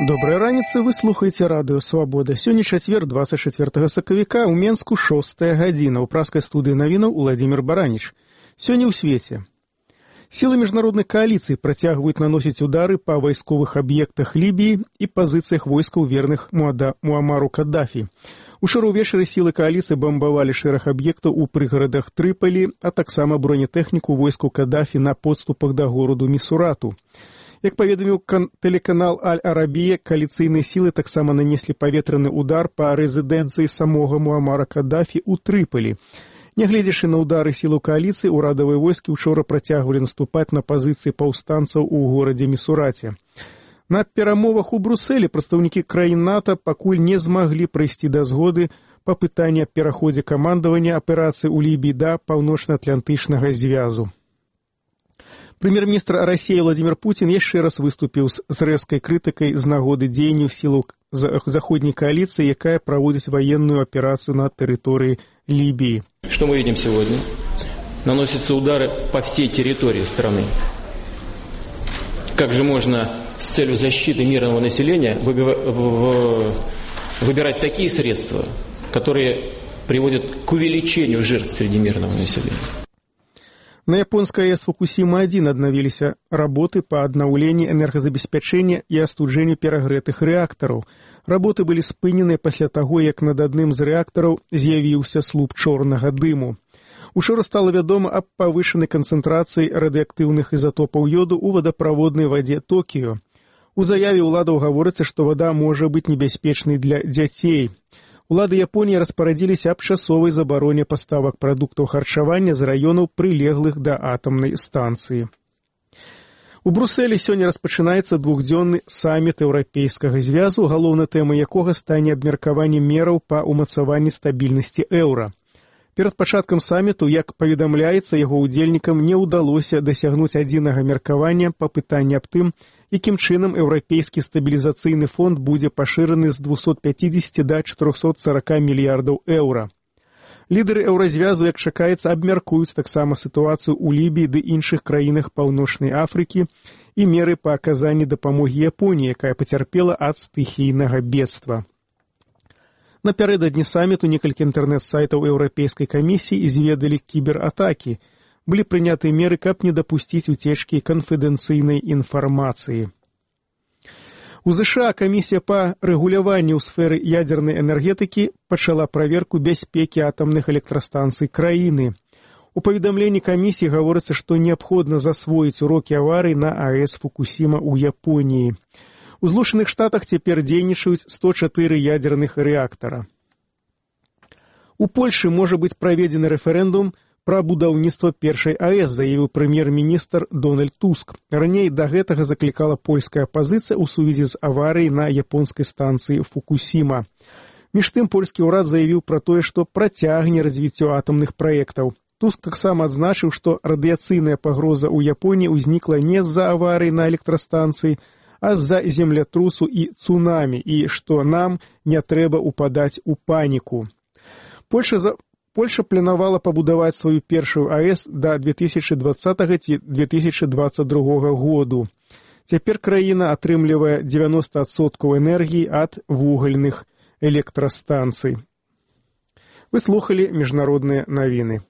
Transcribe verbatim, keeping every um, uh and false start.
Добрай раніцы, вы слухаеце радыё «Свабода». Сёння чацвер, двадцать четвёртага сакавіка, у Менску шостая гадзіна. У праскай студыі навінаў Уладзімір Бараніч. Сёння ў свеце. Сілы міжнароднай кааліцыі працягваюць наносіць удары па вайсковых аб'ектах Лібіі і пазіцыях войскаў верных Муамару Каддафі. Учора ўвечары сілы кааліцыі бамбавалі шэраг аб'ектаў у прыгарадах Трыпалі, а таксама бронетэхніку войскаў Каддафі на подступах да гораду Місурату. Як паведаміў тэлеканал Аль-Арабія, кааліцыйныя сілы таксама нанеслі паветраны удар па рэзідэнцыі самога Муамара Каддафі ў Трыпалі. Нягледзячы на ўдары сілаў кааліцыі, урадавыя войскі учора працягвалі наступаць на пазіцыі паўстанцаў у горадзе Місураце. На перамовах у Брусэлі прадстаўнікі краін НАТО пакуль не змаглі прыйсці да згоды па пытанні аб пераходзе камандавання аперацыі ў Лібіі да паўночна-атлантычнага звязу. Прэм'ер-міністр Расіі Владзімір Пуцін яшчэ раз выступіў з рэзкай крытыкай з нагоды дзеянняў сілаў заходняй кааліцыі, якая праводзіць ваенную аперацыю на тэрыторыі Либии. Что мы видим сегодня? Наносятся удары по всей территории страны. Как же можно с целью защиты мирного населения выбирать такие средства, которые приводят к увеличению жертв среди мирного населения? На японскай АЭС Фукусіма-один аднавіліся работы па аднаўленні энергазабеспячэння і астуджэнню перагрэтых рэактараў. Работы былі спыненыя пасля таго, як над адным з рэактараў з'явіўся слуп чорнага дыму. Учора стала вядома аб павышанай канцэнтрацыі радыеактыўных ізатопаў ёду ў вадаправоднай вадзе Токіё. У заяве ўладаў гаворыцца, што вада можа быць небяспечнай для дзяцей. Улады Японіі распарадзіліся аб часовай забароне паставак прадуктаў харчавання з раёнаў, прылеглых да атамнай станцыі. У Брусэлі сёння распачынаецца двухдзённы саміт еўрапейскага звязу, галоўнай тэмай якога стане абмеркаванне мераў па ўмацаванні стабільнасці еўра. Перад пачаткам саміту, як паведамляецца, яго ўдзельнікам не ўдалося дасягнуць адзінага меркавання па пытанні аб тым, якім чынам еўрапейскі стабілізацыйны фонд будзе пашыраны з двухсот пяцідзесяці да чатырохсот сорока мільярдаў еўра. Лідары еўразвязу, як чакаецца, абмяркуюць таксама сітуацыю ў Лібіі ды іншых краінах Паўночнай Афрыкі і меры па аказанні дапамогі Японіі, якая пацярпела ад стыхійнага бедства. Напярэдадні саміту некалькі інтэрнэт-сайтаў Еўрапейскай камісіі зведалі кібератакі. Былі прыняты меры, каб не дапусціць уцечкі канфідэнцыйнай інфармацыі. У ЗША камісія па рэгуляванню ў сферы ядзернай энергетыкі пачала праверку бяспекі атамных электрастанцый краіны. У паведамленні камісіі гаворыцца, што неабходна засвоіць урокі аварый на АЭС Фукусіма ў Японіі. У Злучаных Штатах цяпер дзейнічаюць сто чатыры ядзерных рэактара. У Польшы можа быць праведзены рэферэндум пра будаўніцтва першай АЭС, заявіў прэм'ер-міністр Дональд Туск. Раней да гэтага заклікала польская апазіцыя ў сувязі з аварыяй на японскай станцыі Фукусіма. Між тым, польскі ўрад заявіў пра тое, што працягне развіццё атамных праектаў. Туск таксама адзначыў, што радыяцыйная пагроза ў Японіі ўзнікла не з-за аварыі на электрастанцыі, а з-за землятрусу і цунамі, і што нам не трэба упадаць у паніку. Польша за Польша планавала пабудаваць сваю першую АЭС да две тысячы двадцатага ці две тысячы дваццаць другога году. Цяпер краіна атрымлівае дзевяноста адсоткаў энергіі ад вугальных электрастанцый. Вы слухалі міжнародныя навіны.